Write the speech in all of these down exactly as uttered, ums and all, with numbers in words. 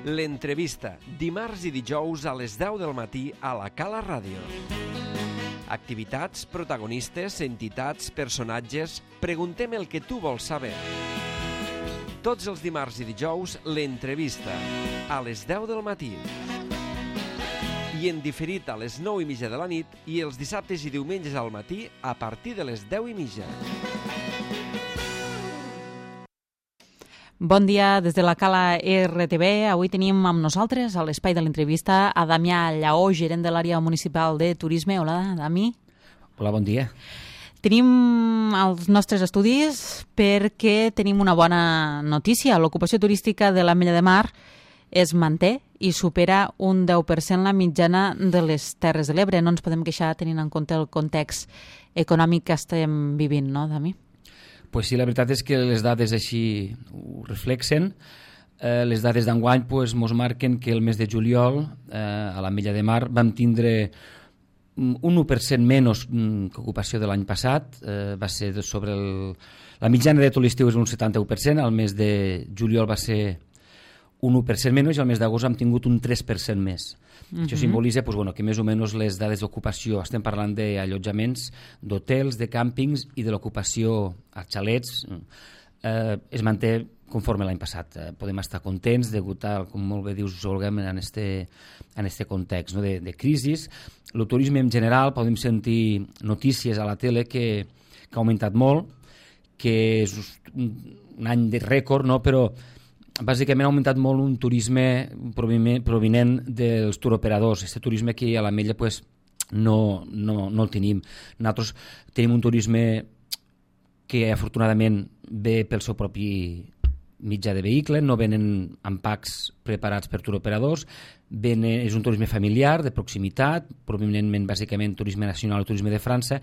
L'entrevista, dimarts i dijous a les deu del matí a la Cala Ràdio. Activitats, protagonistes, entitats, personatges... Preguntem el que tu vols saber. Tots els dimarts i dijous, l'entrevista, a les deu del matí. I en diferit a les nou i mitja de la nit i els dissabtes i diumenges al matí a partir de les deu i mitja. Bon dia des de la Cala R T V. Avui tenim amb nosaltres a l'espai de l'entrevista a Damià Lleó, gerent de l'àrea municipal de turisme. Hola, Dami. Hola, bon dia. Tenim els nostres estudis perquè tenim una bona notícia. L'ocupació turística de l'Ametlla de Mar es manté i supera un deu per cent la mitjana de les Terres de l'Ebre. No ens podem queixar tenint en compte el context econòmic que estem vivint, no, Dami? Pues sí, la veritat és que les dades així ho reflexen. Eh, les dades d'enguany pues, mos marquen que el mes de juliol eh, a l'Ametlla de Mar vam tindre un u per cent menys que ocupació de l'any passat. Eh, va ser sobre el... La mitjana de tot l'estiu és un setanta-u per cent, al mes de juliol va ser un u per cent menys i al mes d'agost hem tingut un tres per cent més. Uh-huh. Això simbolitza pues, bueno, que més o menys les dades d'ocupació, estem parlant d'allotjaments, d'hotels, de càmpings i de l'ocupació als xalets, eh, es manté conforme l'any passat. Eh, podem estar contents degut a, com molt bé dius, Olga, en este, en este context, no? de, de crisi. El turisme en general, podem sentir notícies a la tele que, que ha augmentat molt, que és un, un any de rècord, no? Però bàsicament ha augmentat molt un turisme provinent dels turoperadors. Aquest turisme aquí a l'Ametlla pues, no, no, no el tenim. Nosaltres tenim un turisme que afortunadament ve pel seu propi mitjà de vehicle, no venen amb packs preparats per turoperadors, venen, és un turisme familiar, de proximitat, provinentment bàsicament turisme nacional o turisme de França,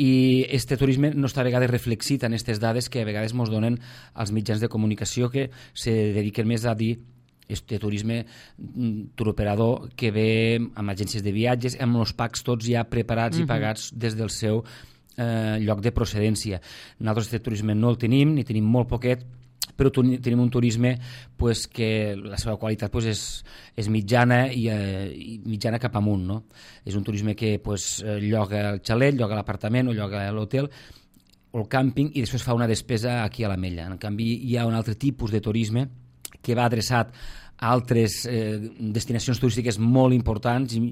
i este turisme no està a vegades reflexit en aquestes dades que a vegades ens donen els mitjans de comunicació que se dediquen més a dir este turisme turoperador que ve amb agències de viatges, amb els packs tots ja preparats uh-huh. i pagats des del seu eh, lloc de procedència. Nosaltres este turisme no el tenim, ni tenim molt poquet, però tenim un turisme pues, que la seva qualitat pues, és, és mitjana i, eh, i mitjana cap amunt. No? És un turisme que pues, lloga el xalet, lloga l'apartament o lloga l'hotel o el càmping i després fa una despesa aquí a l'Ametlla. En canvi, hi ha un altre tipus de turisme que va adreçat a altres eh, destinacions turístiques molt importants i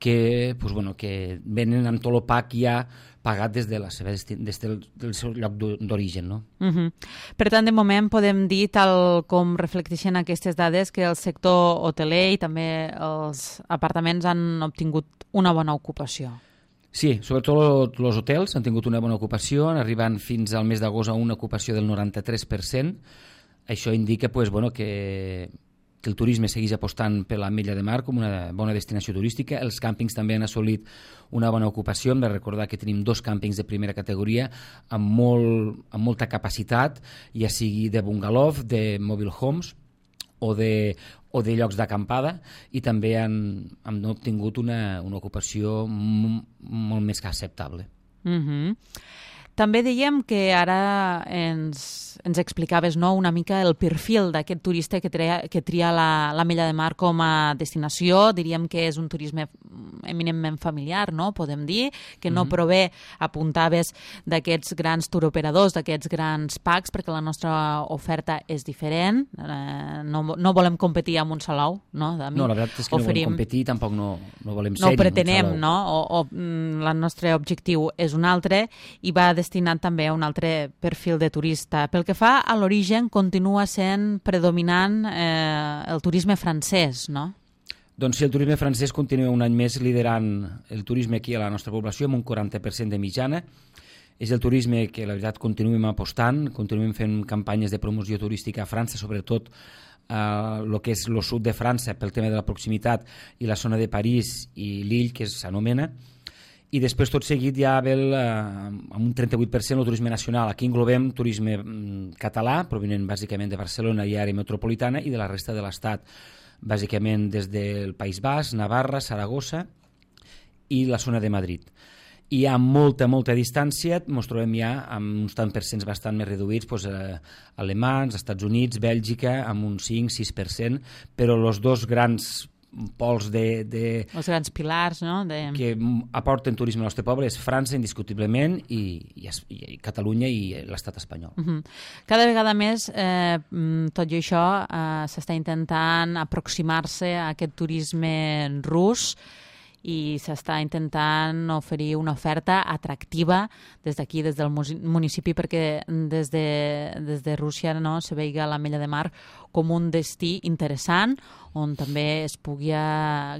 que, pues, bueno, que venen amb tot el pack ja pagat des, de la seva desti- des del, del seu lloc d'origen. No? Uh-huh. Per tant, de moment podem dir, tal com reflecteixen aquestes dades, que el sector hoteler i també els apartaments han obtingut una bona ocupació. Sí, sobretot els hotels han tingut una bona ocupació, arribant fins al mes d'agost a una ocupació del noranta-tres per cent. Això indica pues, bueno, que que el turisme segueix apostant per l'Ametlla de Mar com una bona destinació turística. Els càmpings també han assolit una bona ocupació. Hem de recordar que tenim dos càmpings de primera categoria amb, molt, amb molta capacitat, ja sigui de bungalow, de mobile homes o de, o de llocs d'acampada, i també han, han obtingut una, una ocupació m- molt més que acceptable. Mhm. També dèiem que ara ens, ens explicaves, no, una mica el perfil d'aquest turista que tria, que tria la, l'Ametlla de Mar com a destinació. Diríem que és un turisme eminentment familiar, no? Podem dir, que no mm-hmm. prové, apuntaves, d'aquests grans turoperadors, d'aquests grans packs, perquè la nostra oferta és diferent. Eh, no, no volem competir amb un Salou, no? De mi, no, la veritat és que oferim, no volem competir, tampoc no, no volem ser no pretenem, no? O, o el nostre objectiu és un altre i va destinat també a un altre perfil de turista. Pel que fa a l'origen, continua sent predominant eh, el turisme francès, no? Doncs sí, el turisme francès continua un any més liderant el turisme aquí a la nostra població amb un quaranta per cent de mitjana. És el turisme que, la veritat, continuem apostant, continuem fent campanyes de promoció turística a França, sobretot el eh, que és el sud de França pel tema de la proximitat i la zona de París i Lille, que s'anomena. I després, tot seguit, ja ve el, eh, amb un trenta-vuit per cent el turisme nacional. Aquí englobem turisme mm, català, provinent bàsicament de Barcelona i àrea metropolitana, i de la resta de l'Estat, bàsicament des del País Basc, Navarra, Saragossa i la zona de Madrid. i a molta, molta distància ens trobem ja amb uns tant per cents bastant més reduïts, doncs, eh, alemans, Estats Units, Bèlgica, amb un cinc sis per cent, però els dos grans pols de, de... els grans pilars, no? De... que aporten turisme al nostre poble és França, indiscutiblement, i, i, i Catalunya i l'estat espanyol. Uh-huh. Cada vegada més, eh, tot i això, eh, s'està intentant aproximar-se a aquest turisme rus i s'està intentant oferir una oferta atractiva des d'aquí, des del municipi, perquè des de, des de Rússia, no, se veiga l'Ametlla de Mar com un destí interessant on també es pugui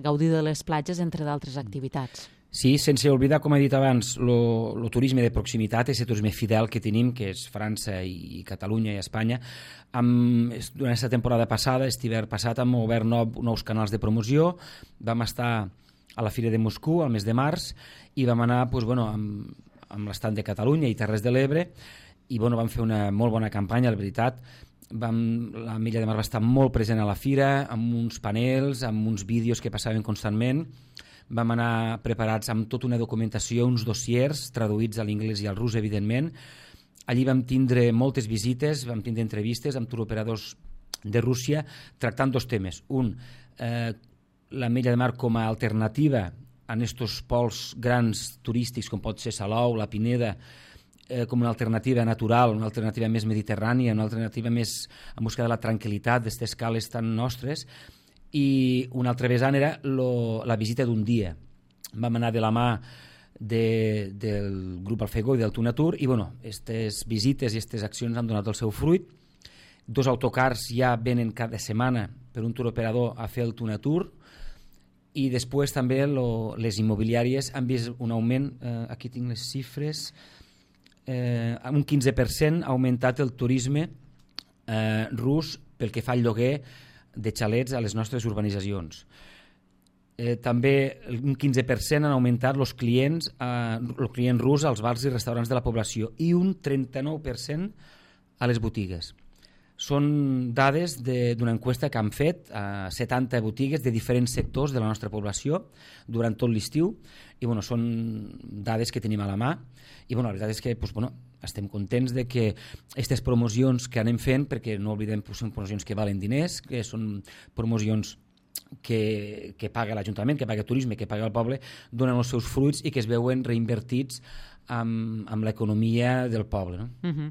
gaudir de les platges, entre d'altres activitats. Sí, sense oblidar, com he dit abans, el turisme de proximitat, aquest turisme fidel que tenim, que és França i Catalunya i Espanya. Amb, durant aquesta temporada passada, aquest hivern passat, hem obert nou, nous canals de promoció, vam estar a la Fira de Moscou, al mes de març, i vam anar doncs, bueno, amb, amb l'estand de Catalunya i Terres de l'Ebre, i bueno, vam fer una molt bona campanya, la veritat. Vam, la Ametlla de Mar va estar molt present a la fira, amb uns panels, amb uns vídeos que passaven constantment. Vam anar preparats amb tota una documentació, uns dossiers traduïts a l'anglès i al rus, evidentment. Allí vam tindre moltes visites, vam tindre entrevistes amb turoperadors de Rússia tractant dos temes. Un, eh, l'Ametlla de Mar com a alternativa a estos pols grans turístics com pot ser Salou, la Pineda, eh, com una alternativa natural, una alternativa més mediterrània, una alternativa més en busca de la tranquil·litat d'aquestes cales tan nostres, i una altra vessant era lo, la visita d'un dia. Vam anar de la mà de, del grup Alfegó i del Tunatur, i bueno, aquestes visites i aquestes accions han donat el seu fruit. Dos autocars ja venen cada setmana per un turoperador a fer el Tunatur, i després també lo, les immobiliàries han vist un augment, eh, aquí tinc les xifres, eh, un quinze per cent ha augmentat el turisme eh, rus pel que fa al lloguer de xalets a les nostres urbanitzacions. Eh, també un quinze per cent han augmentat els clients, eh, el client rus als bars i restaurants de la població, i un trenta-nou per cent a les botigues. Són dades d'una encuesta que han fet a setanta botigues de diferents sectors de la nostra població durant tot l'estiu, i bueno, són dades que tenim a la mà, i bueno, la veritat és que doncs, bueno, estem contents de que aquestes promocions que anem fent, perquè no oblidem que són promocions que valen diners, que són promocions que, que paga l'Ajuntament, que paga el turisme, que paga el poble, donen els seus fruits i que es veuen reinvertits amb, amb l'economia del poble. No? Uh-huh.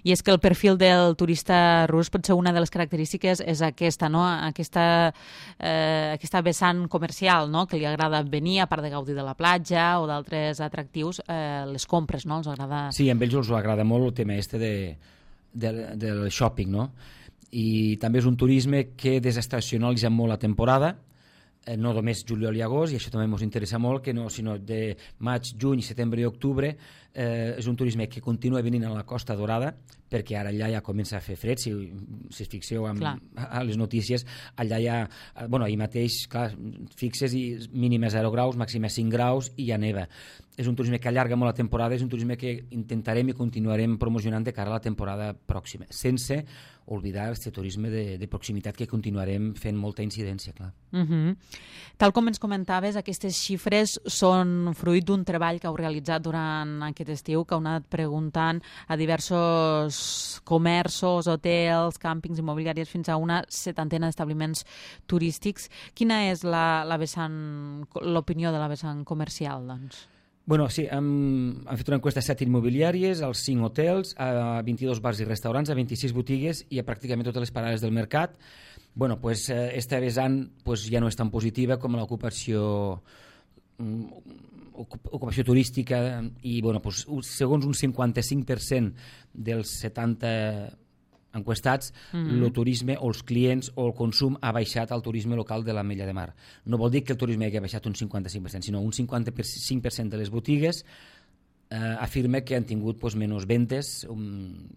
I és que el perfil del turista rus potser una de les característiques és aquesta, no? aquesta, eh, aquesta vessant comercial, no? Que li agrada venir, a part de gaudir de la platja o d'altres atractius, eh, les compres, no? Els agrada... Sí, a ells els agrada molt el tema este de, de, del shopping, no? I també és un turisme que desestacionalitza molt la temporada, eh, no només juliol i agost, i això també ens interessa molt, que no, sinó de maig, juny, setembre i octubre. Eh, és un turisme que continua venint a la Costa Dorada, perquè ara allà ja comença a fer fred, si, si es fixeu amb, a les notícies, allà ja, bueno, ahir mateix, clar, fixes i mínimes zero graus, màximes cinc graus i ja neva. És un turisme que allarga molt la temporada, és un turisme que intentarem i continuarem promocionant de cara a la temporada pròxima, sense oblidar aquest turisme de, de proximitat que continuarem fent molta incidència, clar. Uh-huh. Tal com ens comentaves, aquestes xifres són fruit d'un treball que heu realitzat durant aquest estiu, que heu anat preguntant a diversos comerços, hotels, càmpings, immobiliàries, fins a una setantena d'establiments turístics. Quina és la, la vessant, l'opinió de la vessant comercial, doncs? Bueno, sí, hem, hem fet una enquesta a set immobiliàries, als cinc hotels, a vint-i-dos bars i restaurants, a vint-i-sis botigues i a pràcticament totes les parades del mercat. Bueno, pues, esta vessant pues, ja no és tan positiva com l'ocupació ocupació turística, i bueno, pues, segons un cinquanta-cinc per cent dels setanta enquestats, mm-hmm. el turisme o els clients o el consum ha baixat al turisme local de l'Ametlla de Mar. No vol dir que el turisme hagi baixat un cinquanta-cinc per cent, sinó un cinquanta-cinc per cent de les botigues eh, afirma que han tingut pues, menys ventes um,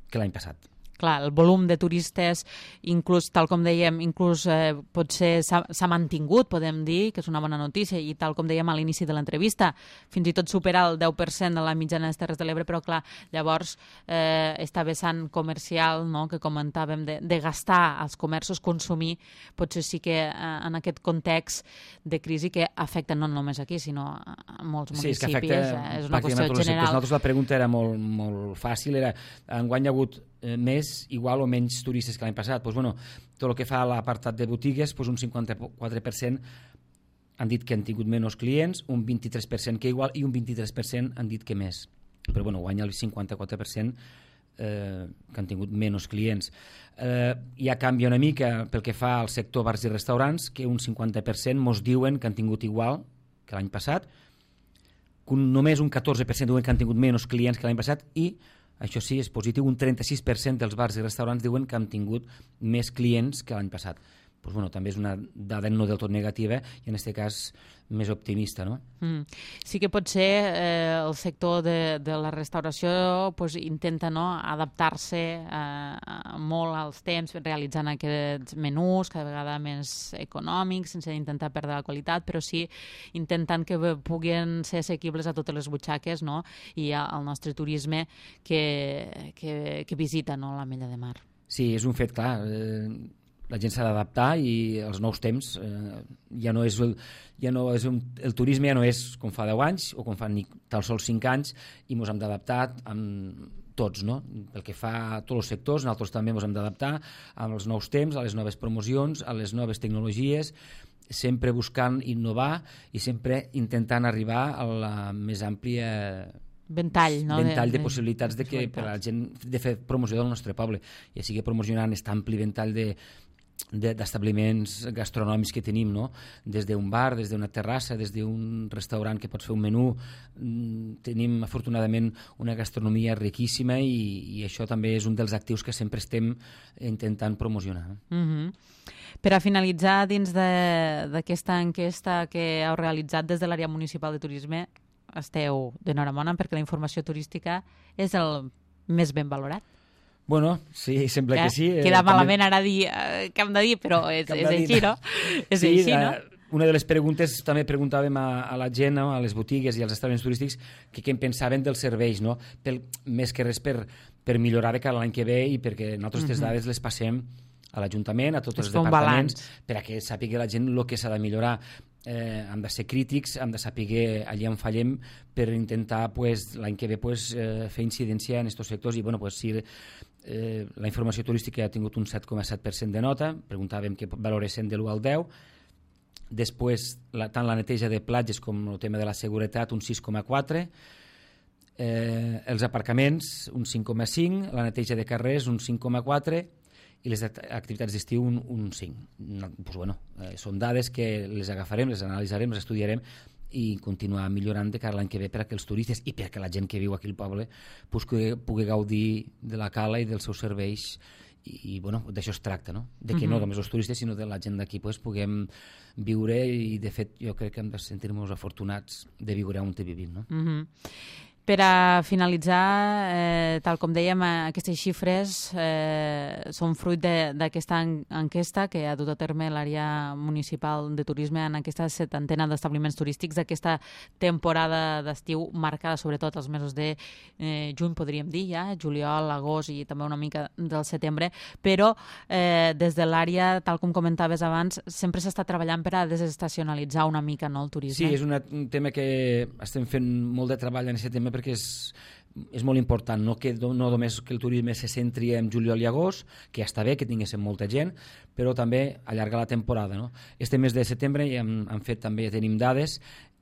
que l'any passat. clar, el volum de turistes, inclús, tal com dèiem, inclús eh, potser s'ha mantingut, podem dir, que és una bona notícia, i tal com dèiem a l'inici de l'entrevista, fins i tot supera el deu per cent de la mitjana de les Terres de l'Ebre, però clar, llavors eh, esta vessant comercial, no?, que comentàvem, de, de gastar als comerços, consumir, potser sí que eh, en aquest context de crisi que afecta no només aquí, sinó a molts municipis, sí, és, que afecta, eh, és una qüestió general. Nosaltres la pregunta era molt, molt fàcil, era enguany hi ha hagut eh, més, igual o menys turistes que l'any passat. Pues, bueno, tot el que fa a l'apartat de botigues, pues, un cinquanta-quatre per cent han dit que han tingut menys clients, un vint-i-tres per cent que igual i un vint-i-tres per cent han dit que més. Però bueno, guanya el cinquanta-quatre per cent eh, que han tingut menys clients. Eh, ja canvia una mica pel que fa al sector bars i restaurants, que un cinquanta per cent mos diuen que han tingut igual que l'any passat, només un catorze per cent diuen que han tingut menys clients que l'any passat i, això sí, és positiu, un trenta-sis per cent dels bars i restaurants diuen que han tingut més clients que l'any passat. Pues, bueno, també és una dada no del tot negativa i en aquest cas més optimista, no? Mm. Sí que potser eh, el sector de, de la restauració pues, intenta, no?, adaptar-se eh, molt als temps, realitzant aquests menús cada vegada més econòmics, sense intentar perdre la qualitat, però sí intentant que puguin ser assequibles a totes les butxaques, no?, i al nostre turisme que, que, que visita, no?, l'Ametlla de Mar. Sí, és un fet clar. Eh... La gent s'ha d'adaptar i els nous temps eh, ja no és, el, ja no és un, el turisme ja no és com fa deu anys o com fa ni tal sols cinc anys i ens hem d'adaptar amb tots, no? Pel que fa a tots els sectors, nosaltres també ens hem d'adaptar als nous temps, a les noves promocions, a les noves tecnologies, sempre buscant innovar i sempre intentant arribar a la més àmplia ventall, no? ventall de, de, de possibilitats de que per a la gent de fer promoció del nostre poble, ja sigui promocionant aquest ampli ventall de d'establiments gastronòmics que tenim, no? Des d'un bar, des d'una terrassa, des d'un restaurant que pots fer un menú. Tenim afortunadament una gastronomia riquíssima i, i això també és un dels actius que sempre estem intentant promocionar. Mm-hmm. Per a finalitzar, dins d'aquesta enquesta que heu realitzat des de l'àrea municipal de turisme, esteu d'enhorabona perquè la informació turística és el més ben valorat. Bueno, sí, sembla que, que sí. Queda eh, malament també... ara dir eh, què hem de dir, però és, és així, no? És sí, així, no? Una de les preguntes, també preguntàvem a, a la gent, no? A les botigues i als establiments turístics, que què en pensaven dels serveis, no? Pel, més que res per, per millorar de cara l'any que ve i perquè nosaltres aquestes dades les passem a l'Ajuntament, a tots els departaments, per a que sàpiga la gent el que s'ha de millorar. Eh, hem de ser crítics, hem de saber allà on fallem per intentar pues, l'any que ve pues, eh, fer incidència en aquests sectors i bueno, pues, si eh, la informació turística ha tingut un set coma set per cent de nota, preguntàvem que valoressin de l'u al deu, després la, tant la neteja de platges com el tema de la seguretat un sis coma quatre, eh, els aparcaments un cinc coma cinc, la neteja de carrers un cinc coma quatre i les activitats d'estiu un, un cinc. Pues bueno, eh, són dades que les agafarem, les analitzarem, les estudiarem i continuar millorant de cara l'any que ve perquè els turistes i perquè la gent que viu aquí al poble pues, que pugui gaudir de la cala i dels seus serveis i, i bueno, d'això es tracta, no? De que mm-hmm. no només els turistes sinó de la gent d'aquí pues, puguem viure i de fet jo crec que hem de sentir-nos afortunats de viure on te vivim, no? Mm-hmm. Per a finalitzar, eh, tal com dèiem, aquestes xifres eh, són fruit d'aquesta en enquesta que ha dut a terme l'àrea municipal de turisme en aquesta setantena d'establiments turístics d'aquesta temporada d'estiu marcada sobretot els mesos de eh, juny, podríem dir, ja, juliol, agost i també una mica del setembre, però eh, des de l'àrea, tal com comentaves abans, sempre s'està treballant per a desestacionalitzar una mica, no, el turisme. Sí, és una, un tema que estem fent molt de treball en aquest tema perquè és, és molt important, no, que, no només que el turisme se centri en juliol i agost, que ja està bé, que tinguéssim molta gent, però també allargar la temporada. No? Este mes de setembre ja hem, hem fet també, ja tenim dades,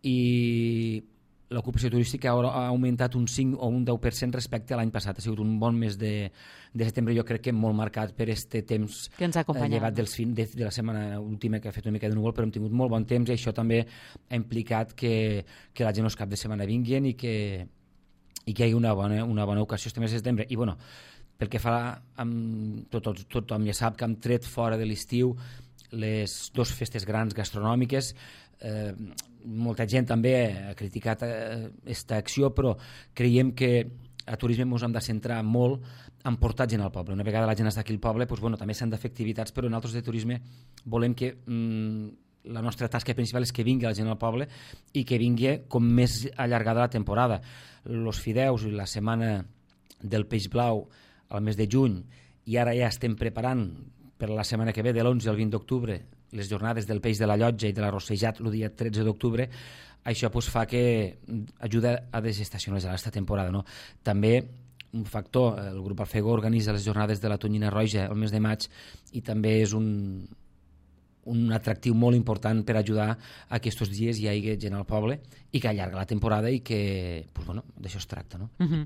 i l'ocupació turística ha augmentat un cinc o un deu per cent respecte a l'any passat. Ha sigut un bon mes de, de setembre, jo crec que molt marcat per este temps que ens ha acompanyat, llevat dels fin, de, de la setmana última que ha fet una mica de núvol, però hem tingut molt bon temps i això també ha implicat que, que la gent els cap de setmana vinguin i que i que hi hagi una bona, una bona ocasió este mes de setembre. I bueno, pel que fa amb, tot, tot, tothom ja sap que hem tret fora de l'estiu les dues festes grans gastronòmiques. Eh, molta gent també ha criticat aquesta acció, però creiem que a turisme ens hem de centrar molt en portar gent al poble. Una vegada la gent està aquí al poble, doncs, bueno, també s'han de fer activitats, però nosaltres de turisme volem que mmm, la nostra tasca principal és que vingui la gent al poble i que vingui com més allargada la temporada. Los fideus i la setmana del peix blau al mes de juny, i ara ja estem preparant per la setmana que ve, de l'onze al vint d'octubre, les jornades del peix de la llotja i de l'arrossejat el dia tretze d'octubre. Això pues, fa que ajuda a desestacionalitzar aquesta temporada. No? També un factor, el grup Alfegó organitza les jornades de la tonyina roja el mes de maig i també és un, un atractiu molt important per ajudar a que aquests dies hi hagi gent al poble i que allarga la temporada i que, pues, bueno, d'això es tracta. No? Uh-huh.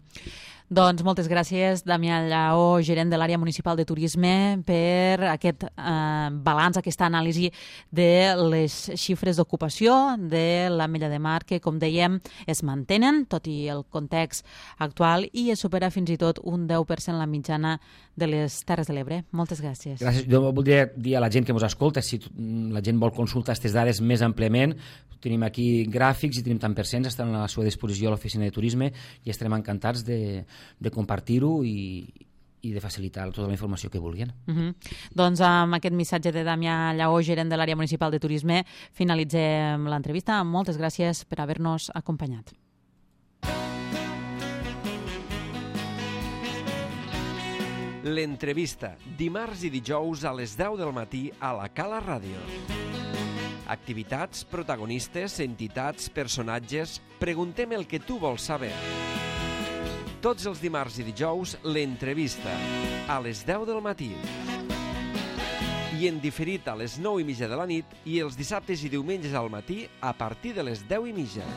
Doncs moltes gràcies, Damià Lleó, gerent de l'àrea municipal de turisme, per aquest eh, balanç, aquesta anàlisi de les xifres d'ocupació de l'Ametlla de Mar, que, com dèiem, es mantenen, tot i el context actual, i es supera fins i tot un deu per cent la mitjana de les Terres de l'Ebre. Moltes gràcies. Gràcies. Jo voldria dir a la gent que ens escolta, si la gent vol consultar aquestes dades més àmpliament, tenim aquí gràfics i tenim tant per cents, estan a la seva disposició a l'oficina de turisme i estarem encantats de, de compartir-ho i, i de facilitar tota la informació que vulguin. Uh-huh. Doncs amb aquest missatge de Damià Lleó, gerent de l'àrea municipal de turisme, finalitzem l'entrevista. Moltes gràcies per haver-nos acompanyat. L'entrevista, dimarts i dijous a les deu del matí a la Cala Ràdio. Activitats, protagonistes, entitats, personatges... Preguntem el que tu vols saber. Tots els dimarts i dijous, l'entrevista, a les deu del matí. I en diferit a les nou i mitja de la nit i els dissabtes i diumenges al matí a partir de les deu i mitja.